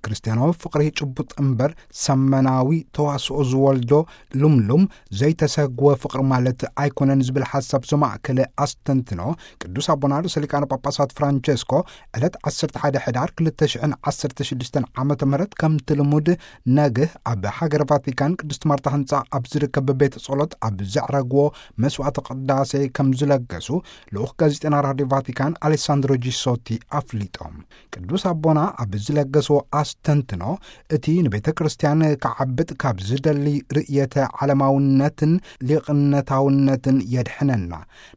ክርስትያናዊ ፍቕሪ ጭቡጥ እምበር ሰመናዊ ተዋስኦ ዝወልዶ ልምሉም ዘይተሰግወ ፍቕሪ ማለት ኣይኮነን ዝብል ሓሳብ ዘማእከለ ኣስተንትኖ ቅዱስ ኣቦና ርእሰ ሊቃነ ጳጳሳት ፍራንቸስኮ ዕለት ዓሰርተ ሓደ ሕዳር ክልተ ሽሕን ዓሰርተ ሽዱሽተን ዓመተ ምህረት ከምቲ ልሙድ ነግህ ኣብ ሃገረ ቫቲካን ቅድስት ማርታ ህንጻ ኣብ ዝርከብ ቤተ ጸሎት ኣብ ዘዕረግዎ መስዋዕተ ቅዳሴ ከም ዝለገሱ ልኡኽ ጋዜጠና ራድዮ ቫቲካን ኣሌሳንድሮ ጂሶቲ ኣፍሊጦም። ቅዱስ ኣቦና ኣብ ዝለገስዎ ኣስተንትኖ፣ እቲ ንቤተ ክርስቲያን ክዓብጥ ካብ ዝደሊ ርእየተ ዓለማውነትን ሊቕነታውነትን የድሕነና።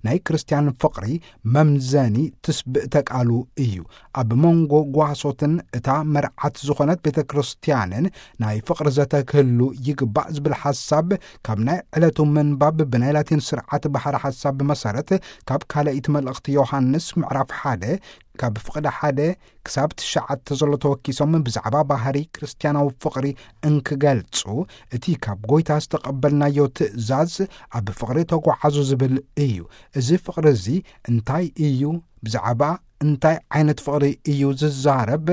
ናይ ክርስቲያን ፍቕሪ መምዘኒ ትስብእተ ቃሉ እዩ። ኣብ መንጎ ጓሶትን እታ መርዓት ዝኾነት ቤተ ክርስቲያንን ናይ ፍቕሪ ዘተ ክህሉ ይግባእ ዝብል ሓሳብ ካብ ናይ ዕለቱ ምንባብ ብናይ ላቲን ስርዓት ባሕሪ ሓሳብ መሰረት ካብ ካልኣይቲ መልእኽቲ ዮሃንስ ምዕራፍ ሓደ ካብ ፍቕዲ ሓደ ክሳብ ትሽዓተ ዘሎ ተወኪሶም ብዛዕባ ባህሪ ክርስትያናዊ ፍቕሪ እንክገልጹ፣ እቲ ካብ ጎይታ ዝተቐበልናዮ ትእዛዝ ኣብ ፍቕሪ ተጓዓዙ ዝብል እዩ። እዚ ፍቕሪ እዚ እንታይ እዩ? ብዛዕባ እንታይ ዓይነት ፍቕሪ እዩ ዝዛረብ?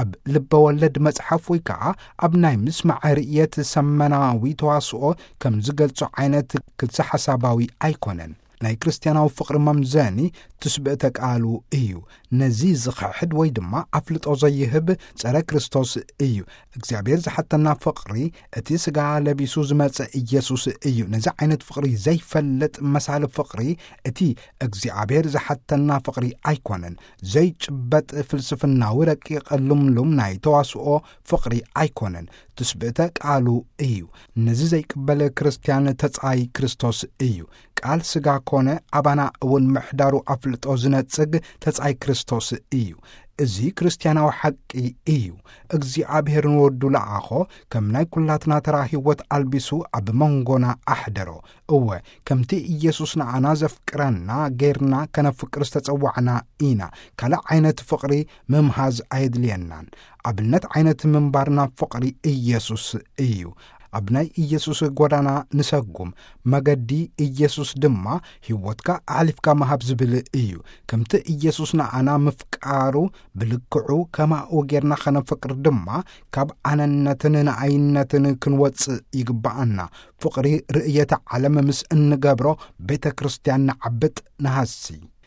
ኣብ ልበ ወለድ መጽሓፍ ወይ ከኣ ኣብ ናይ ምስማዕ ርእየት ሰመናዊ ተዋስኦ ከም ዝገልጾ ዓይነት ክልሰ ሓሳባዊ ኣይኮነን። ናይ ክርስትያናዊ ፍቕሪ መምዘኒ ትስብእተ ቃሉ እዩ። ነዚ ዝኽሕድ ወይ ድማ ኣፍልጦ ዘይህብ ጸረ ክርስቶስ እዩ። እግዚኣብሔር ዝሓተና ፍቕሪ እቲ ስጋ ለቢሱ ዝመጸ ኢየሱስ እዩ። ነዚ ዓይነት ፍቕሪ ዘይፈልጥ መሳሊ ፍቕሪ እቲ እግዚኣብሔር ዝሓተና ፍቕሪ ኣይኮነን። ዘይጭበጥ ፍልስፍናዊ ረቂቕ ልምሉም ናይ ተዋስኦ ፍቕሪ ኣይኮነን። ትስብእተ ቃሉ እዩ። ነዚ ዘይቅበል ክርስትያን ተጻይ ክርስቶስ እዩ። ቃል ስጋ ኮነ፣ ኣባና እውን ምሕዳሩ ኣፍልጦ ዝነጽግ ተጻይ ክርስቶስ እዩ። እዚ ክርስትያናዊ ሓቂ እዩ። እግዚኣብሔር ንወዱ ለኣኾ፣ ከም ናይ ኩላትና ተራ ህይወት ኣልቢሱ ኣብ መንጎና ኣሕደሮ። እወ፣ ከምቲ ኢየሱስ ንዓና ዘፍቅረና ጌርና ከነፍቅር ዝተጸዋዕና ኢና። ካልእ ዓይነት ፍቕሪ ምምሃዝ ኣየድልየናን። ኣብነት ዓይነት ምንባርና ፍቕሪ ኢየሱስ እዩ። ኣብ ናይ ኢየሱስ ጎዳና ንሰጉም። መገዲ ኢየሱስ ድማ ህይወትካ ኣሕሊፍካ ምሃብ ዝብል እዩ። ከምቲ ኢየሱስ ንዓና ምፍቃሩ ብልክዑ ከማኡ ጌርና ከነፍቅር ድማ ካብ ኣነነትን ንኣይነትን ክንወጽእ ይግብኣና። ፍቕሪ ርእየተ ዓለም ምስ እንገብሮ ቤተ ክርስቲያን ንዓብጥ ንሃሲ።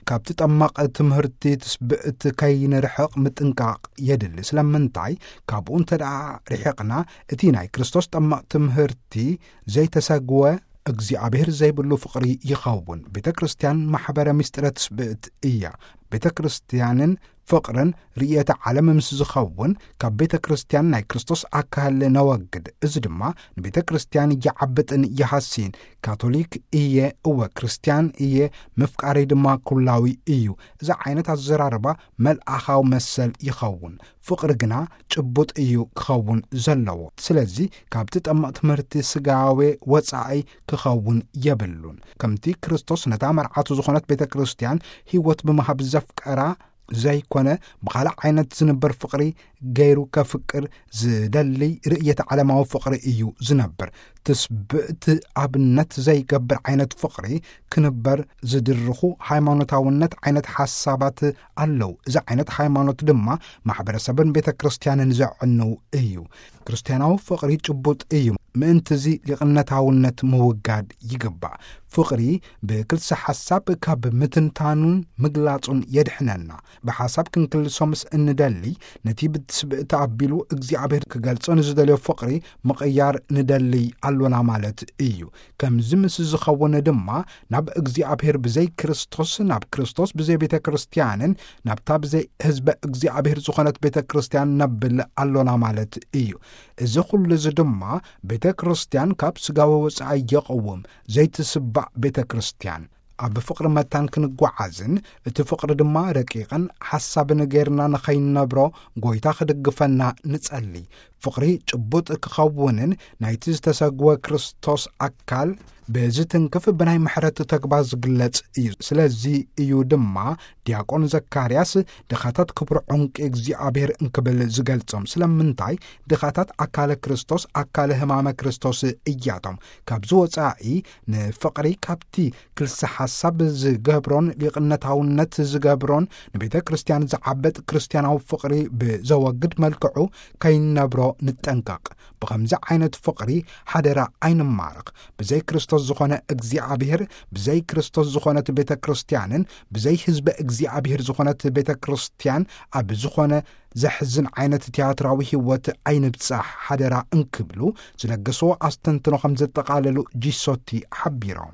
ካብቲ ጠማቕ ትምህርቲ ትስብእት ከይንርሕቕ ምጥንቃቕ የድሊ። ስለምንታይ? ካብኡ እንተ ደኣ ርሒቕና እቲ ናይ ክርስቶስ ጠማቕ ትምህርቲ ዘይተሰግወ እግዚኣብሔር ዘይብሉ ፍቕሪ ይኸውን። ቤተ ክርስቲያን ማሕበረ ምስጢረ ትስብእት እያ። ቤተ ክርስቲያንን ፍቕርን ርእየተ ዓለም ምስ ዝኸውን ካብ ቤተ ክርስቲያን ናይ ክርስቶስ ኣካል ነወግድ። እዚ ድማ ንቤተ ክርስቲያን ይዓብጥን ይሃስይን። ካቶሊክ እየ፣ እወ ክርስቲያን እየ፣ ምፍቃረይ ድማ ኩላዊ እዩ። እዚ ዓይነት ኣዘራርባ መልኣኻዊ መሰል ይኸውን። ፍቕሪ ግና ጭቡጥ እዩ ክኸውን ዘለዎ። ስለዚ ካብቲ ጠማቕ ትምህርቲ ስጋዌ ወጻኢ ክኸውን የብሉን። ከምቲ ክርስቶስ ነታ መርዓቱ ዝኾነት ቤተ ክርስቲያን ህይወት ብምሃብ ዘፍቀራ ዘይኮነ፣ ብኻልእ ዓይነት ዝንበር ፍቕሪ ገይሩ ከፍቅር ዝደሊ ርእየተ ዓለማዊ ፍቕሪ እዩ ዝነብር። ትስብእቲ ኣብነት ዘይገብር ዓይነት ፍቕሪ ክንበር ዝድርኹ ሃይማኖታውነት ዓይነት ሓሳባት ኣለዉ። እዚ ዓይነት ሃይማኖት ድማ ማሕበረሰብን ቤተ ክርስቲያንን ዘዕንው እዩ። ክርስትያናዊ ፍቕሪ ጭቡጥ እዩ። ምእንትዚ ሊቕነታውነት ምውጋድ ይግባእ። ፍቕሪ ብክልሰ ሓሳብ ካብ ምትንታኑን ምግላጹን የድሕነና። ብሓሳብ ክንክልሶ ምስ እንደሊ፣ ነቲ ብትስብእቲ ኣቢሉ እግዚኣብሔር ክገልጾ ንዝደልዮ ፍቕሪ ምቕያር ንደሊ ኣሎና ማለት እዩ። ከምዚ ምስ ዝኸውን ድማ፣ ናብ እግዚኣብሔር ብዘይ ክርስቶስ፣ ናብ ክርስቶስ ብዘይ ቤተ ክርስቲያንን ናብታ ብዘይ ህዝበ እግዚኣብሔር ዝኾነት ቤተ ክርስቲያን ነብል ኣሎና ማለት እዩ። እዚ ኹሉ እዚ ድማ ቤተ ክርስቲያን ካብ ስጋዊ ወጻኢ የቕውም፣ ዘይትስባእ ቤተ ክርስቲያን። ኣብ ፍቕሪ መታን ክንጓዓዝን እቲ ፍቕሪ ድማ ረቂቕን ሓሳብን ጌርና ንኸይንነብሮ ጐይታ ክድግፈና ንጸሊ። ፍቕሪ ጭቡጥ ክኸውንን ናይቲ ዝተሰግወ ክርስቶስ ኣካል ብዝትንክፍ ብናይ ምሕረት ተግባር ዝግለጽ እዩ። ስለዚ እዩ ድማ ዲያቆን ዘካርያስ ድኻታት ክብሩ ዕንቂ እግዚኣብሔር እንክብል ዝገልጾም። ስለምንታይ? ድኻታት ኣካለ ክርስቶስ፣ ኣካለ ህማመ ክርስቶስ እያቶም። ካብዚ ወጻኢ ንፍቕሪ ካብቲ ክልሰ ሓሳብ ዝገብሮን ሊቕነታውነት ዝገብሮን ንቤተ ክርስቲያን ዝዓበጥ ክርስቲያናዊ ፍቕሪ ብዘወግድ መልክዑ ከይነብሮ ንጠንቀቕ። ብኸምዚ ዓይነት ፍቕሪ ሓደራ ኣይንማረኽ። ብዘይ ክርስቶስ ዝኾነ እግዚኣብሔር፣ ብዘይ ክርስቶስ ዝኾነት ቤተ ክርስቲያንን ብዘይ ህዝበ እግዚኣብሔር ዝኾነት ቤተ ክርስቲያን ኣብ ዝኾነ ዘሕዝን ዓይነት ቲያትራዊ ህይወት ኣይንብጻሕ ሓደራ እንክብሉ ዝለገስዎ ኣስተንትኖ ከም ዘጠቓለሉ ጂሶቲ ሓቢሮም።